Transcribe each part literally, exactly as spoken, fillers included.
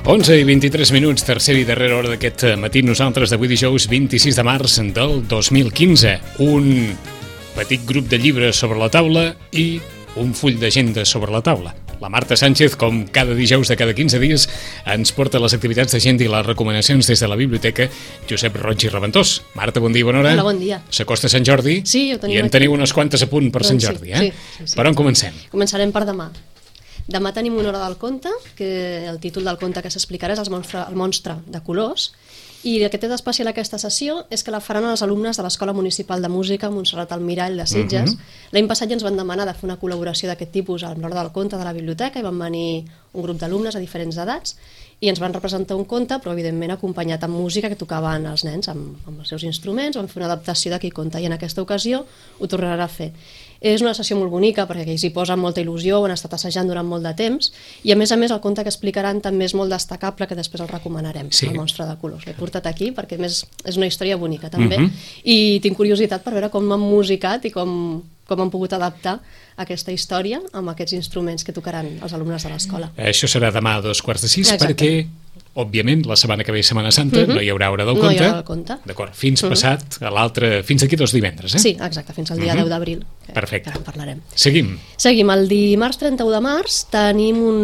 onze i vint-i-tres minuts, tercera i darrera hora d'aquest matí, nosaltres d'avui dijous vint-i-sis de març del dos mil quinze. Un petit grup de llibres sobre la taula i un full d'agenda sobre la taula. La Marta Sánchez, com cada dijous de cada quinze dies, ens porta les activitats d'agenda i les recomanacions des de la biblioteca Josep Roig i Reventós. Marta, bon dia, bona hora. Hola, bon dia. S'acosta Sant Jordi. Sí, ho tenim i en aquí. teniu unes quantes a punt per doncs Sant Jordi, sí, eh? Sí, sí, sí. Per on comencem? Començarem per demà. Demà tenim una hora del conte, que el títol del conte que s'explicarà és el monstre, el monstre de colors, i el que té d'especial aquesta sessió és que la faran els alumnes de l'Escola Municipal de Música Montserrat Almirall de Sitges. Uh-huh. L'any passat ja ens van demanar de fer una col·laboració d'aquest tipus a l'hora del conte de la biblioteca i van venir un grup d'alumnes a diferents edats i ens van representar un conte, però evidentment acompanyat amb música que tocaven els nens amb, amb els seus instruments, van fer una adaptació d'aquell conte i en aquesta ocasió ho tornarà a fer. És una sessió molt bonica perquè ells hi posen molta il·lusió, ho han estat assajant durant molt de temps i a més a més el conte que explicaran també és molt destacable, que després el recomanarem, sí. El monstre de colors. L'he portat aquí perquè a més és una història bonica també, uh-huh. i tinc curiositat per veure com han musicat i com, com han pogut adaptar aquesta història amb aquests instruments que tocaran els alumnes de l'escola. Això serà demà a dos quarts de sis. Exacte. Perquè òbviament, la setmana que ve, Setmana Santa, uh-huh. no hi haurà hora del no conte. No hi haurà el conte. D'acord, fins uh-huh. passat a l'altre, fins aquí dos divendres, eh? Sí, exacte, fins al dia uh-huh. deu d'abril. Perfecte. Que ara en parlarem. Seguim. Seguim. El dimarts trenta-u de març tenim un,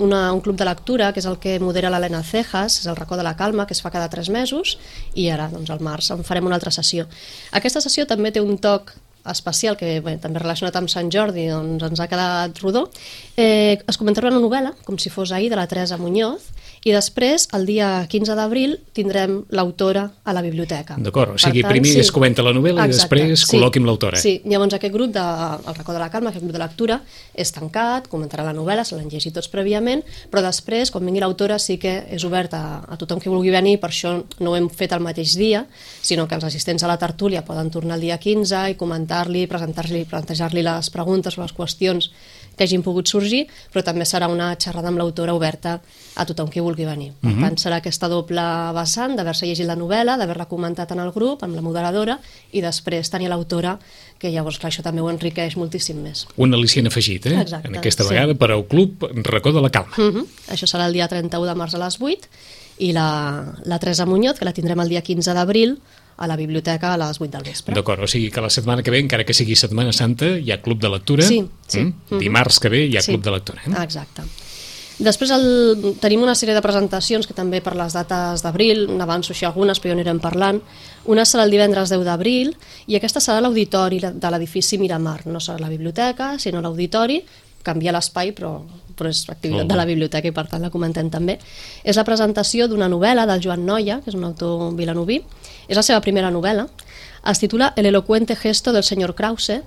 una, un club de lectura, que és el que modera l'Helena Cejas, és el racó de la calma, que es fa cada tres mesos, i ara, doncs, al març en farem una altra sessió. Aquesta sessió també té un toc especial, que bé, també relacionat amb Sant Jordi, doncs ens ha quedat rodó. Eh, es comentarà una novel·la, com si fos ahir, de la Teresa Muñoz, i després, el dia quinze d'abril, tindrem l'autora a la biblioteca. D'acord, o sigui, tant, primer sí. es comenta la novel·la. Exacte. I després sí. col·loquim l'autora. Sí, llavors aquest grup, de, el racó de la calma, aquest grup de lectura, és tancat, comentarà la novel·la, se l'han llegit tots prèviament, però després, quan vingui l'autora, sí que és obert a, a tothom que vulgui venir, per això no ho hem fet el mateix dia, sinó que els assistents a la tertúlia poden tornar el dia quinze i comentar-li, presentar-li, plantejar-li les preguntes o les qüestions que hagin pogut sorgir, però també serà una xerrada amb l'autora oberta a tothom qui vulgui venir. Per uh-huh. tant, serà aquesta doble vessant d'haver-se llegit la novel·la, d'haver-la comentat en el grup, amb la moderadora, i després tenir l'autora, que llavors clar, això també ho enriqueix moltíssim més. Un al·licient afegit, eh? Exacte, en aquesta sí. vegada per al Club Racó de la Calma. Uh-huh. Això serà el dia trenta-u de març a les vuit, i la, la Teresa Muñoz, que la tindrem el dia quinze d'abril, a la biblioteca a les vuit del vespre. D'acord, o sigui que la setmana que ve, encara que sigui Setmana Santa, hi ha Club de Lectura. Sí, sí. Mm? Uh-huh. Dimarts que ve hi ha sí. Club de Lectura. Eh? Exacte. Després el, tenim una sèrie de presentacions que també per les dates d'abril, n'avanço així algunes, però ja anirem parlant. Una serà el divendres deu d'abril i aquesta serà l'auditori de l'edifici Miramar. No serà la biblioteca, sinó l'auditori. Canvia l'espai, però, però és activitat oh. de la biblioteca i per tant la comentem també. És la presentació d'una novel·la del Joan Noia, que és un autor vilanoví. És la seva primera novel·la. Es titula El elocuente gesto del señor Krause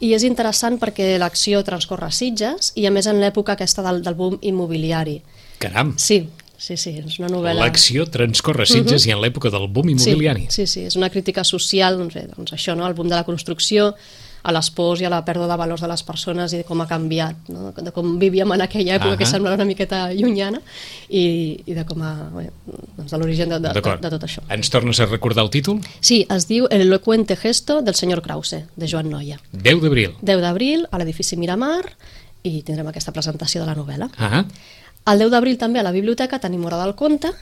i és interessant perquè l'acció transcorre a Sitges i a més en l'època aquesta del, del boom immobiliari. Caram! Sí, sí, sí, és una novel·la... L'acció transcorre a Sitges uh-huh. i en l'època del boom immobiliari. Sí, sí, sí, és una crítica social, doncs, bé, doncs això, no? El boom de la construcció, a les pors i a la pèrdua de valors de les persones i de com ha canviat, no? De com vivíem en aquella època uh-huh. que sembla una miqueta llunyana i, i de com a, bé, doncs de l'origen de, de, de, de tot això. Ens tornes a recordar el títol? Sí, es diu El elocuente gesto del señor Krause, de Joan Noia. deu d'abril. deu d'abril, a l'edifici Miramar, i tindrem aquesta presentació de la novel·la. Uh-huh. El deu d'abril també a la biblioteca tenim hora del conte,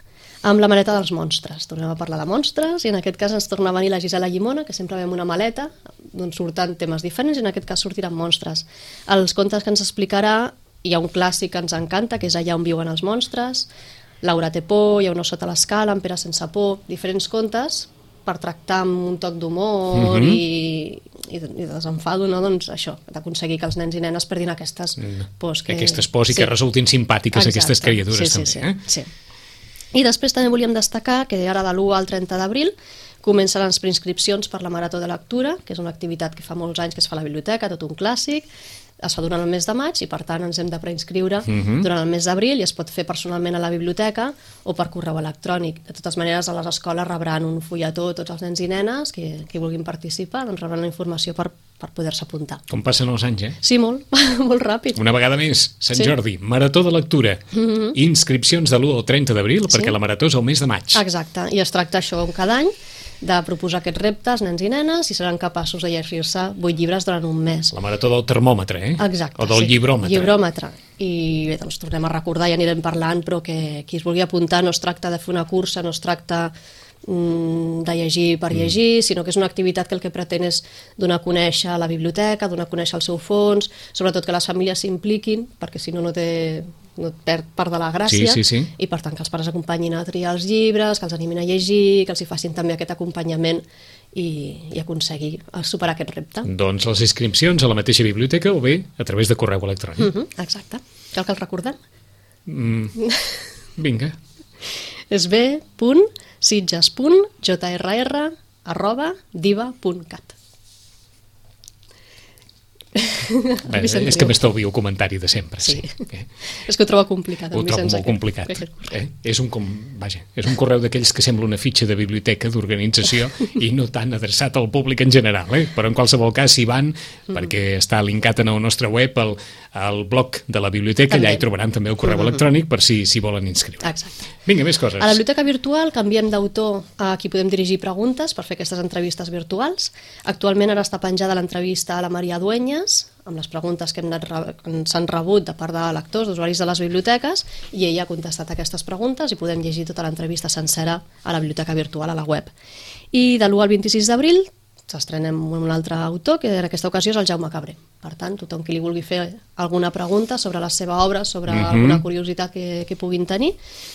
amb la maleta dels monstres. Tornem a parlar de monstres i en aquest cas ens torna a venir la Gisela Llimona, que sempre veiem una maleta d'on surten temes diferents i en aquest cas sortiran monstres. Els contes que ens explicarà, hi ha un clàssic que ens encanta, que és Allà on viuen els monstres, Laura té por, Hi ha un os sota l'escala, En Pere sense por, diferents contes per tractar amb un toc d'humor uh-huh. i, i, de, i de desenfado, no? Doncs això, d'aconseguir que els nens i nenes perdin aquestes pors. Que... Aquestes pors i sí. que resultin simpàtiques. Exacte. Aquestes criatures sí, sí, també. Sí, eh? sí. I després també volíem destacar que ara de l'u al trenta d'abril comencen les preinscripcions per la Marató de Lectura, que és una activitat que fa molts anys que es fa a la biblioteca, tot un clàssic, es fa durant el mes de maig i per tant ens hem de preinscriure uh-huh. durant el mes d'abril i es pot fer personalment a la biblioteca o per correu electrònic. De totes maneres, a les escoles rebran un fulletó tots els nens i nenes que, que vulguin participar, doncs rebran la informació per, per poder-se apuntar. Com passen els anys, eh? Sí, molt, molt ràpid. Una vegada més, Sant sí. Jordi, Marató de Lectura, uh-huh. inscripcions de l'u al trenta d'abril, sí. perquè la Marató és el mes de maig. Exacte, i es tracta això cada any de proposar aquests reptes, nens i nenes, i seran capaços de llegir-se vuit llibres durant un mes. La marató del termòmetre, eh? Exacte, o del sí. llibròmetre. Llibròmetre. I bé, doncs tornem a recordar i anirem parlant, però que qui es vulgui apuntar no es tracta de fer una cursa, no es tracta de llegir per llegir, mm. sinó que és una activitat que el que pretén és donar a conèixer la biblioteca, donar a conèixer el seu fons, sobretot que les famílies s'impliquin, perquè si no no té no et perd part de la gràcia, sí, sí, sí. i per tant que els pares acompanyin a triar els llibres, que els animin a llegir, que els hi facin també aquest acompanyament i, i aconseguir superar aquest repte. Doncs les inscripcions a la mateixa biblioteca o bé a través de correu electrònic. Mm-hmm, exacte. Cal que el recordem? Mm. Vinga. És b.sitges.jrr arroba diva punt cat. Bé, és que m'estalvio el comentari de sempre. Sí. Sí. Eh? És que ho trobo complicat. Ho trobo molt complicat. Eh? És, un com... Vaja, és un correu d'aquells que sembla una fitxa de biblioteca, d'organització, i no tan adreçat al públic en general. Eh? Però en qualsevol cas, si van, mm. perquè està linkat en el nostre web, al, al blog de la biblioteca, també. Allà hi trobaran també el correu mm-hmm. electrònic per si, si volen inscriure. Exacte. Vinga, més coses. A la biblioteca virtual canviem d'autor a qui podem dirigir preguntes per fer aquestes entrevistes virtuals. Actualment ara està penjada l'entrevista a la Maria Dueñas, amb les preguntes que s'han rebut de part de lectors, d'usuaris de les biblioteques, i ella ha contestat aquestes preguntes i podem llegir tota l'entrevista sencera a la biblioteca virtual, a la web. I de l'u al vint-i-sis d'abril s'estrenem un altre autor, que en aquesta ocasió és el Jaume Cabré. Per tant, tothom qui li vulgui fer alguna pregunta sobre la seva obra, sobre mm-hmm. alguna curiositat que, que puguin tenir,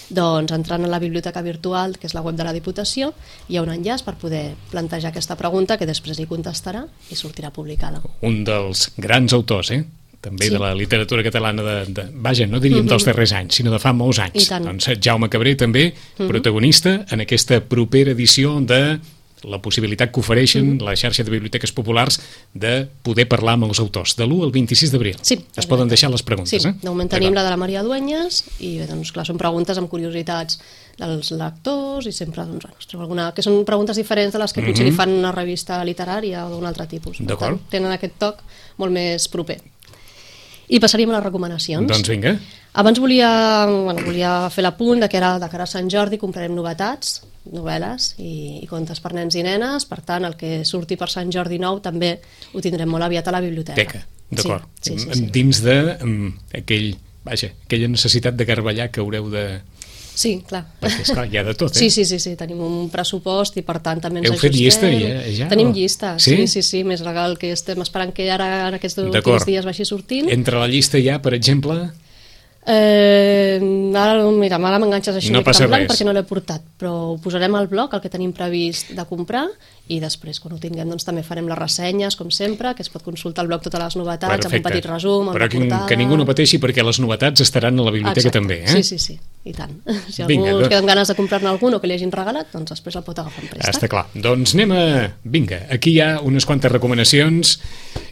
doncs entrant a la biblioteca virtual, que és la web de la Diputació, hi ha un enllaç per poder plantejar aquesta pregunta que després li contestarà i sortirà publicada. Un dels grans autors, eh? també sí. de la literatura catalana, de, de, vaja, no diríem mm-hmm. dels darrers anys, sinó de fa molts anys. Doncs Jaume Cabré també, mm-hmm. protagonista en aquesta propera edició de la possibilitat que ofereixen mm-hmm. la xarxa de biblioteques populars de poder parlar amb els autors, de l'u al vint-i-sis d'abril. Sí, es poden deixar les preguntes. Sí, eh? de moment tenim la de la Maria Dueñas i bé, doncs clar, són preguntes amb curiositats dels lectors i sempre doncs, bueno, alguna, que són preguntes diferents de les que mm-hmm. potser li fan una revista literària o d'un altre tipus. D'acord. Tenen aquest toc molt més proper. I passaríem a les recomanacions. Doncs vinga. Abans volia, bueno, volia fer l'apunt de que ara, de cara a Sant Jordi comprarem novetats, novel·les i, i contes per nens i nenes, per tant el que surti per Sant Jordi nou també ho tindrem molt aviat a la biblioteca. Teca, d'acord. Sí, sí, sí, sí. Dins de um, aquell, vaja, aquella necessitat de garballar que haureu de... Sí, clar. Perquè, esclar, hi ha de tot, eh? Sí, sí, sí, sí, tenim un pressupost i per tant també ens Heu ajustem. fet llista ja? ja Tenim o... llista, sí? sí, sí, sí, més legal que estem esperant que ara en aquests últims dies vagi sortint. Entre la llista ja, per exemple... Eh, ara, mira, ara m'enganxes així no passa blanc res. perquè no l'he portat, però ho posarem al blog, el que tenim previst de comprar, i després, quan ho tinguem, doncs també farem les ressenyes, com sempre, que es pot consultar al blog totes les novetats, perfecte. amb un petit resum, amb però la portada... que, que ningú no pateixi perquè les novetats estaran a la biblioteca. Exacte. També, eh? Sí, sí, sí, i tant. Si algú vinga, es queda amb ganes de comprar-ne algun o que li hagin regalat, doncs després el pot agafar en préstec. Està clar. Doncs anem a... Vinga, aquí hi ha unes quantes recomanacions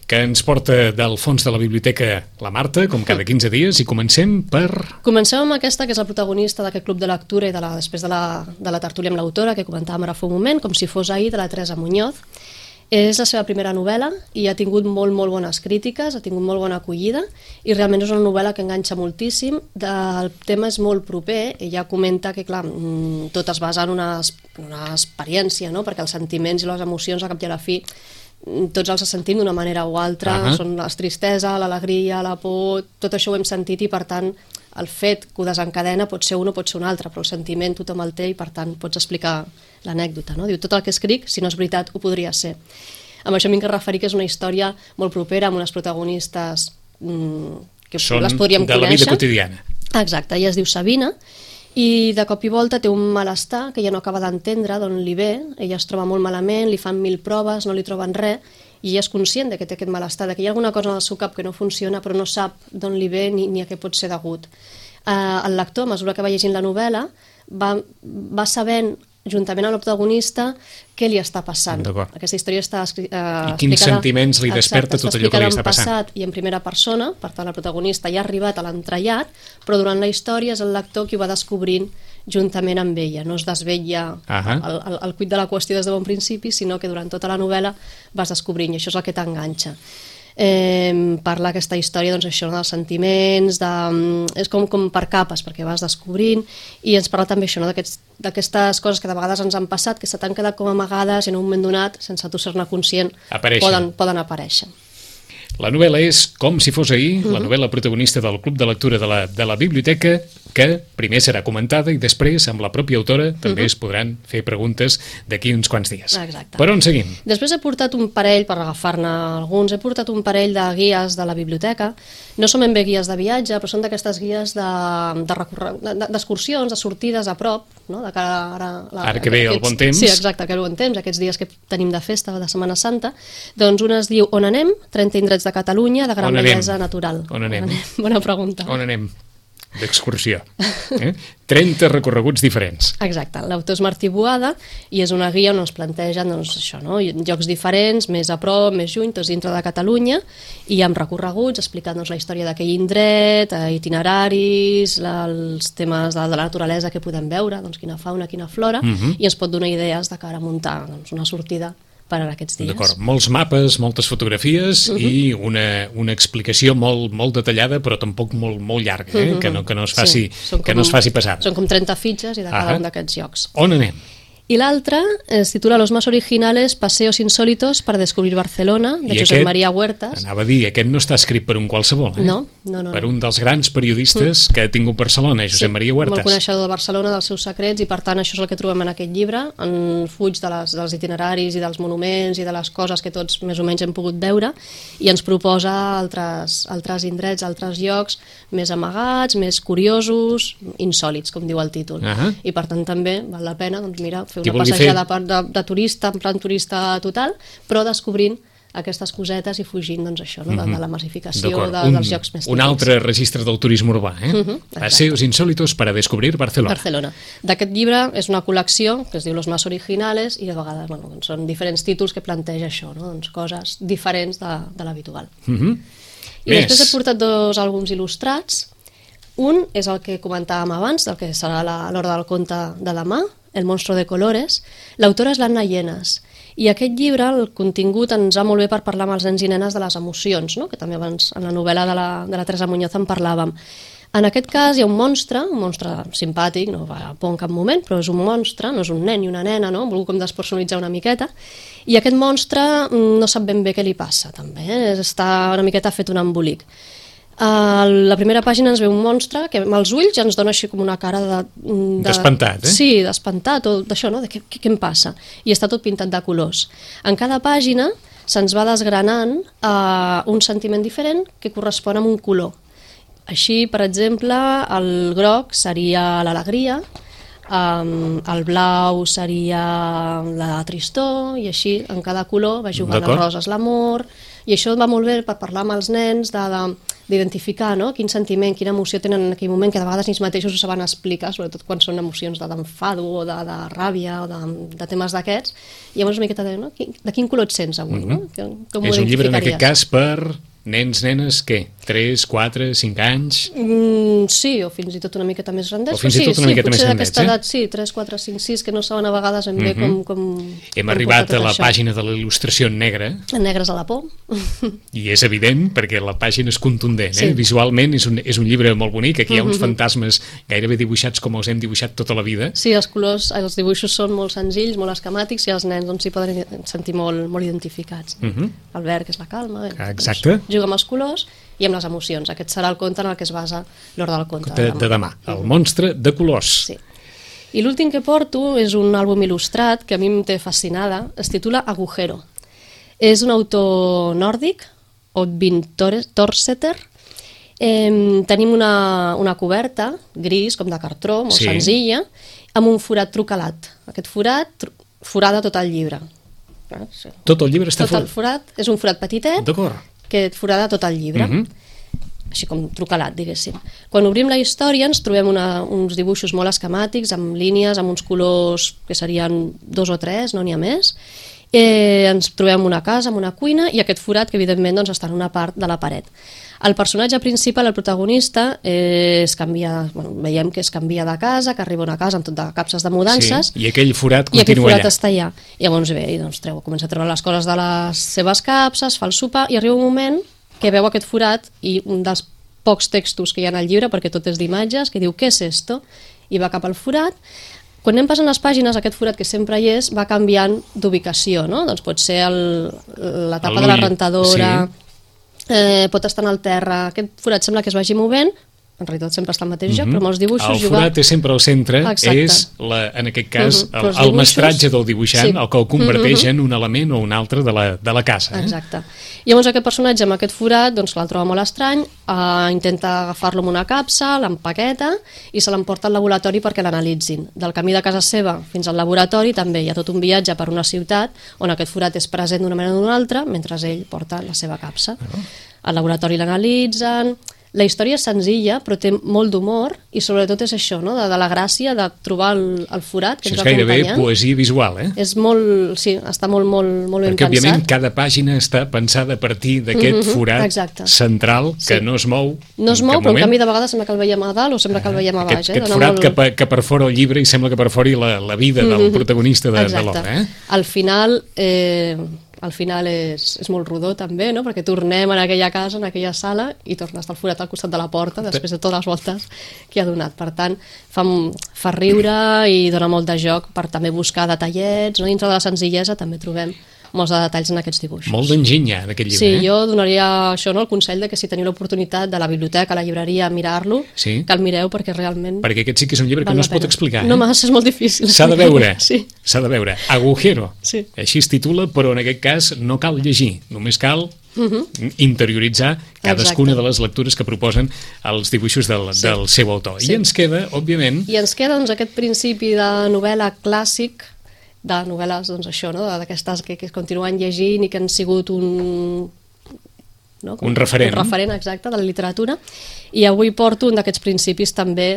que ens porta del fons de la biblioteca la Marta, com cada quinze dies, i comencem per... Comencem amb aquesta, que és la protagonista d'aquest club de lectura i de la, després de la, de la tertúlia amb l'autora, que comentàvem ara fa un moment, com si fos ahir, de la Teresa Muñoz. És la seva primera novel·la i ha tingut molt, molt bones crítiques, ha tingut molt bona acollida i realment és una novel·la que enganxa moltíssim. El tema és molt proper, ella comenta que, clar, tot es basa en una, una experiència, no? Perquè els sentiments i les emocions, a cap i a la fi, tots els sentim d'una manera o altra, uh-huh. són la tristesa, l'alegria, la por, tot això ho hem sentit i per tant el fet que ho desencadena pot ser un o pot ser un altre, però el sentiment tothom el té i per tant pots explicar l'anècdota, no? Diu, tot el que escric, si no és veritat, ho podria ser. Amb això m'he de referir que és una història molt propera, amb unes protagonistes mmm, que són les podríem de conèixer. La vida quotidiana. Exacte, ella es diu Sabina i de cop i volta té un malestar que ella no acaba d'entendre d'on li ve, ella es troba molt malament, li fan mil proves, no li troben res, i ella és conscient de que té aquest malestar, de que hi ha alguna cosa en el seu cap que no funciona però no sap d'on li ve ni, ni a què pot ser degut. Uh, el lector, a mesura que va llegint la novel·la, va, va sabent, juntament amb el protagonista, què li està passant. Aquesta història està uh, I quins explicada, sentiments li desperta exacte, tot allò que li està passant. Passat i en primera persona, per tant el protagonista ja ha arribat a l'entrellat, però durant la història és el lector qui ho va descobrint juntament amb ella, no es desvetlla uh-huh. el, el, el cuit de la qüestió des de bon principi, sinó que durant tota la novel·la vas descobrint, i això és el que t'enganxa. eh, parla aquesta història, doncs això, dels sentiments, de, és com, com per capes, perquè vas descobrint, i ens parla també això, no? d'aquestes coses que de vegades ens han passat, que se t'han quedat com amagades i en un moment donat, sense tu ser-ne conscient, poden, poden aparèixer. La novel·la és Com si fos ahir, uh-huh. la novel·la protagonista del Club de Lectura de la, de la Biblioteca, que primer serà comentada i després, amb la pròpia autora, també uh-huh. es podran fer preguntes d'aquí uns quants dies. Exacte. Per on seguim? Després he portat un parell, per agafar-ne alguns, he portat un parell de guies de la biblioteca. No són ben bé guies de viatge, però són d'aquestes guies d'excursions, de, de, de sortides a prop, no? De cara ara, la, ara que ve aquests, el bon temps. Sí, exacte, que ve el bon temps, aquests dies que tenim de festa, de Setmana Santa. Doncs una es diu On anem? trenta indrets de Catalunya, de gran bellesa natural. On anem? On anem? Bona pregunta. On anem? D'excursió. Eh? trenta recorreguts diferents. Exacte. L'autor és Martí Boada i és una guia on es plantegen doncs, això, no? llocs diferents, més a prop, més lluny, tots dintre de Catalunya, i amb recorreguts explicant doncs, la història d'aquell indret, itineraris, la, els temes de, de la naturalesa que podem veure, doncs, quina fauna, quina flora, uh-huh. i ens pot donar idees de cara a muntar doncs, una sortida per a aquests dies. D'acord, molts mapes, moltes fotografies uh-huh. i una, una explicació molt, molt detallada, però tampoc molt, molt llarga, eh? uh-huh. que, no, que, no es faci, sí, que com, no es faci pesada. Són com trenta fitxes i de cada uh-huh. un d'aquests llocs. On anem? I l'altre es titula Los más originales paseos insólitos para descobrir Barcelona, de I Josep aquest, Maria Huertas. Anava a dir, aquest no està escrit per un qualsevol, eh? No, no, no. Per un dels grans periodistes mm. que ha tingut Barcelona, Josep sí, Maria Huertas. Molt coneixedor de Barcelona, dels seus secrets, i per tant això és el que trobem en aquest llibre, en fuig de les, dels itineraris i dels monuments i de les coses que tots més o menys hem pogut veure, i ens proposa altres, altres indrets, altres llocs més amagats, més curiosos, insòlits, com diu el títol. Uh-huh. I per tant també val la pena, doncs mira, fer una passejada fer... De, de turista, en plan turista total, però descobrint aquestes cosetes i fugint, doncs això, no? de, de la massificació de, un, dels llocs més típics. Un altre registre del turisme urbà, eh? Uh-huh, Paseos insólitos para descobrir Barcelona. Barcelona. D'aquest llibre és una col·lecció que es diu Los más originales i de vegades bueno, doncs són diferents títols que planteja això, no? doncs coses diferents de, de l'habitual. Uh-huh. I més. Després he portat dos àlbums il·lustrats. Un és el que comentàvem abans, el que serà l'hora del conte de demà, El monstruo de colores. L'autora és l'Anna Llenas. I aquest llibre, el contingut, ens va molt bé per parlar amb els nens i nenes de les emocions, no? que també abans en la novel·la de la, de la Teresa Muñoz en parlàvem. En aquest cas hi ha un monstre, un monstre simpàtic, no va por en cap moment, però és un monstre, no és un nen i una nena, no? Volgut com despersonalitzar una miqueta, i aquest monstre no sap ben bé què li passa, també, eh? Està una miqueta fet un embolic. A la primera pàgina ens ve un monstre que amb els ulls ja ens dona així com una cara de... de... d'espantat, eh? Sí, d'espantat, o d'això, no? De què, què, què em passa? I està tot pintat de colors. En cada pàgina se'ns va desgranant uh, un sentiment diferent que correspon amb un color. Així, per exemple, el groc seria l'alegria, um, el blau seria la tristor, i així en cada color va jugant el rosa és l'amor, i això va molt bé per parlar amb els nens de... de d'identificar no? quin sentiment, quina emoció tenen en aquell moment, que de vegades ells mateixos ho saben explicar, sobretot quan són emocions d'enfado o de, de ràbia o de, de temes d'aquests, i llavors una miqueta de, no? de quin color et sents avui? Mm-hmm. no? Com és un llibre en aquest cas per nens, nenes, què? tres, quatre, cinc anys? Mm, sí, o fins i tot una miqueta més grandets. O fins i tot sí, una sí, miqueta més grandets, eh? Edat, sí, tres, quatre, cinc, sis, que no saben a vegades ben bé mm-hmm. com, com... Hem com arribat a la això. Pàgina de la il·lustració en negre. En negres a la por. I és evident, perquè la pàgina és contundent, eh? Sí. Visualment és un, és un llibre molt bonic, aquí hi ha uns mm-hmm. fantasmes gairebé dibuixats com els hem dibuixat tota la vida. Sí, els colors, els dibuixos són molt senzills, molt esquemàtics, i els nens doncs, s'hi poden sentir molt, molt identificats. Mm-hmm. El verd, que és la calma, bé, exacte. Doncs, juga amb els colors i amb les emocions. Aquest serà el conte en el que es basa l'hora del conte de, de demà. El monstre de colors. Sí. I l'últim que porto és un àlbum il·lustrat que a mi em té fascinada, es titula Agujero. És un autor nòrdic, Oddvin Torseter. Eh, tenim una, una coberta gris, com de cartró, molt sí. senzilla, amb un forat trucalat. Aquest forat tru, forada tot el llibre. Ah, sí. Tot el llibre està tot el forat, és un forat petitet, d'acord, que forada tot el llibre, mm-hmm. així com trucalat, diguéssim. Quan obrim la història ens trobem una, uns dibuixos molt esquemàtics, amb línies, amb uns colors que serien dos o tres, no n'hi ha més, Eh, ens trobem una casa amb una cuina i aquest forat que evidentment doncs, està en una part de la paret. El personatge principal, el protagonista, eh, es canvia, bueno, veiem que es canvia de casa, que arriba a una casa amb tot de capses de mudances. Sí, i aquell forat i aquell continua forat allà. està allà. I llavors ve, i doncs treu, comença a treure les coses de les seves capses, fa el sopar, i arriba un moment que veu aquest forat i un dels pocs textos que hi ha al llibre, perquè tot és d'imatges, que diu, què és esto? I va cap al forat. Quan anem passant les pàgines, aquest forat que sempre hi és va canviant d'ubicació, no? Doncs pot ser el, la tapa de la rentadora, sí. eh, pot estar en el terra, aquest forat sembla que es vagi movent, en realitat sempre està al mateix lloc, mm -hmm. però molts dibuixos... El forat juga... és sempre al centre, Exacte. és, la, en aquest cas, mm -hmm. el, el dibuixos... mestratge del dibuixant, sí. el que el converteix mm -hmm. en un element o un altre de la, de la casa. Eh? Exacte. I llavors aquest personatge amb aquest forat doncs, el troba molt estrany, eh, intenta agafar-lo amb una capsa, l'empaqueta i se l'emporta al laboratori perquè l'analitzin. Del camí de casa seva fins al laboratori també hi ha tot un viatge per una ciutat on aquest forat és present d'una manera o d'una altra mentre ell porta la seva capsa. Oh. Al laboratori l'analitzen... La història és senzilla, però té molt d'humor i sobretot és això, no? de, de la gràcia de trobar el, el forat que això ens és va gairebé acompanyant. poesia visual, eh? És molt, sí, està molt, molt, molt ben Perquè, pensat. Perquè, òbviament, cada pàgina està pensada a partir d'aquest mm -hmm, forat exacte. central que sí. no es mou No es mou, però en canvi de vegades sembla que el veiem a dalt o sembla que el veiem a baix. Aquest, eh? aquest Dona forat molt... que, per, que perfora el llibre i sembla que perfori la, la vida del mm -hmm. protagonista de, de l'obra. Eh? Al final... Eh... al final és, és molt rodó també, no? Perquè tornem en aquella casa, en aquella sala i torna a estar el forat al costat de la porta després de totes les voltes que ha donat. Per tant, fa, fa riure i dona molt de joc per també buscar detallets, no? Dintre de la senzillesa també trobem molts de detalls en aquests dibuixos. Molt d'enginy en aquest llibre. Sí, eh? jo donaria això, no? El consell de que si teniu l'oportunitat de la biblioteca, a la llibreria, mirar-lo, sí. que el mireu perquè realment... Perquè aquest sí que és un llibre que no es pot explicar. Eh? No massa, és molt difícil. S'ha de veure, sí. s'ha de veure. Agujero, sí. així es titula, però en aquest cas no cal llegir, només cal uh -huh. interioritzar cadascuna Exacte. de les lectures que proposen els dibuixos del, sí. del seu autor. Sí. I ens queda, òbviament... I ens queda doncs, aquest principi de novel·la clàssic, de novel·les, doncs això, no? d'aquestes que, que continuen llegint i que han sigut un... No? Un referent. Un referent, exacte, de la literatura. I avui porto un d'aquests principis també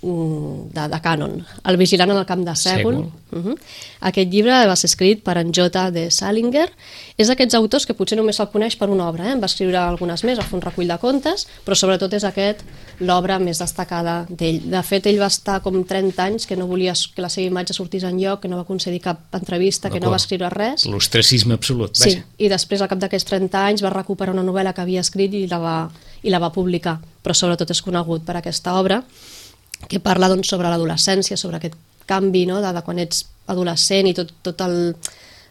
de, de cànon, El vigilant en el camp de Sègol. Uh -huh. Aquest llibre va ser escrit per en J. D. Salinger. És d'aquests autors que potser només se'l coneix per una obra, eh? En va escriure algunes més, va fer un recull de contes, però sobretot és aquest l'obra més destacada d'ell. De fet, ell va estar com trenta anys que no volia que la seva imatge sortís enlloc, que no va concedir cap entrevista, que no va escriure res. L'ostracisme absolut. Sí, vaja. I després, al cap d'aquests trenta anys, va recuperar una novel·la que havia escrit i la va, i la va publicar. Però sobretot és conegut per aquesta obra, que parla doncs, sobre l'adolescència, sobre aquest canvi, no? de, de quan ets adolescent i tot, tot, el,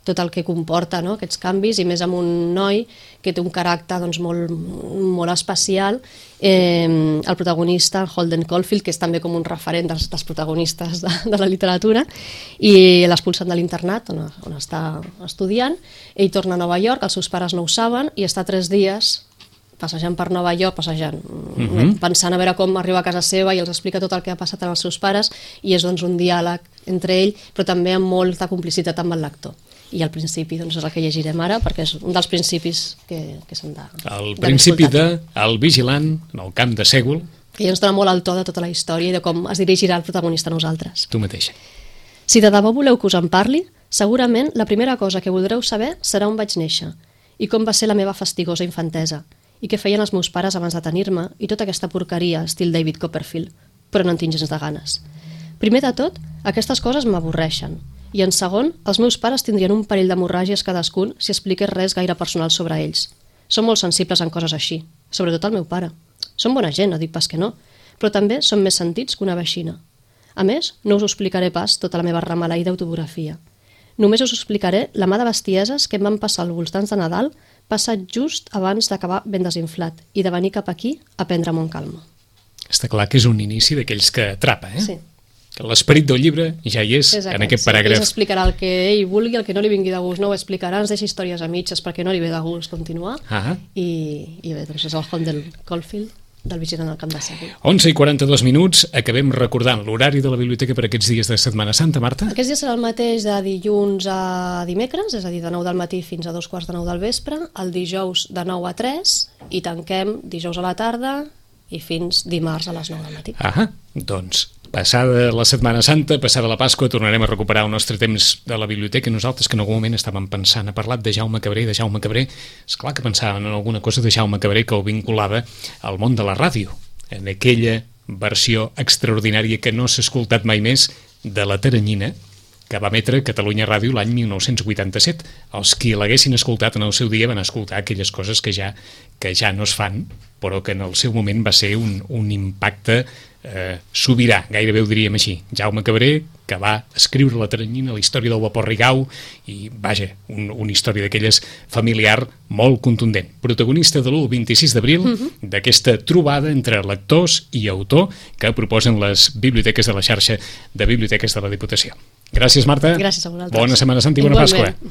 tot el que comporta, no? aquests canvis, i més amb un noi que té un caràcter doncs, molt, molt especial. Eh, el protagonista, Holden Caulfield, que és també com un referent dels, dels protagonistes de, de la literatura, i l'expulsen de l'internat on, on està estudiant. Ell torna a Nova York, els seus pares no ho saben, i està tres dies passejant per Nova York, passejant, uh -huh. pensant a veure com arriba a casa seva i els explica tot el que ha passat als seus pares, i és doncs, un diàleg entre ell, però també amb molta complicitat amb el lector. I al principi doncs, és el que llegirem ara, perquè és un dels principis que, que s'han de... El principi de El vigilant en el camp de Sègol. Que ja ens dona molt el to de tota la història i de com es dirigirà el protagonista a nosaltres. Tu mateixa. Si de debò voleu que us en parli, segurament la primera cosa que voldreu saber serà on vaig néixer i com va ser la meva fastigosa infantesa, i què feien els meus pares abans de tenir-me, i tota aquesta porqueria estil David Copperfield, però no en tinc gens de ganes. Primer de tot, aquestes coses m'avorreixen, i en segon, els meus pares tindrien un parell d'hemorràgies cadascun si expliqués res gaire personal sobre ells. Són molt sensibles en coses així, sobretot el meu pare. Són bona gent, no dic pas que no, però també són més sentits que una veixina. A més, no us ho explicaré pas tota la meva ramalaïda autobiografia. Només us explicaré la mà de bestieses que em van passar als voltants de Nadal, passat just abans d'acabar ben desinflat i de venir cap aquí a prendre'm amb calma. Està clar que és un inici d'aquells que atrapa, eh? Sí. Que l'esperit del llibre ja hi és, és aquest, en aquest paràgraf. Sí, ell explicarà el que ell vulgui, el que no li vingui de gust no ho explicarà, ens deixa històries a mitges perquè no li ve de gust continuar. Ah. I, i bé, doncs és el Holden Caulfield del vigilant al camp de Sègol. onze i quaranta-dos minuts, acabem recordant l'horari de la biblioteca per aquests dies de Setmana Santa, Marta? Aquests dies serà el mateix de dilluns a dimecres, és a dir, de nou del matí fins a dos quarts de nou del vespre, el dijous de nou a tres, i tanquem dijous a la tarda i fins dimarts a les nou del matí. Ah, doncs Passada la Setmana Santa, passada la Pasqua, tornarem a recuperar el nostre temps de la biblioteca. Nosaltres que en algun moment estàvem pensant, ha parlat de Jaume Cabré, de Jaume Cabré, esclar que pensàvem en alguna cosa de Jaume Cabré que el vinculava al món de la ràdio, en aquella versió extraordinària que no s'ha escoltat mai més de La Teranyina, que va emetre Catalunya Ràdio l'any mil nou-cents vuitanta-set. Els qui l'haguessin escoltat en el seu dia van escoltar aquelles coses que ja, que ja no es fan, però que en el seu moment va ser un, un impacte eh, sobirà, gairebé ho diríem així. Jaume Cabré, que va escriure La Teranyina, la història del vapor Rigau, i vaja, un, una història d'aquelles familiar molt contundent. Protagonista de l'u vint-i-sis d'abril, uh-huh. d'aquesta trobada entre lectors i autor que proposen les biblioteques de la xarxa de biblioteques de la Diputació. Gràcies, Marta. Gràcies a vosaltres. Bona Setmana Santa i bona Igualment. Pasqua.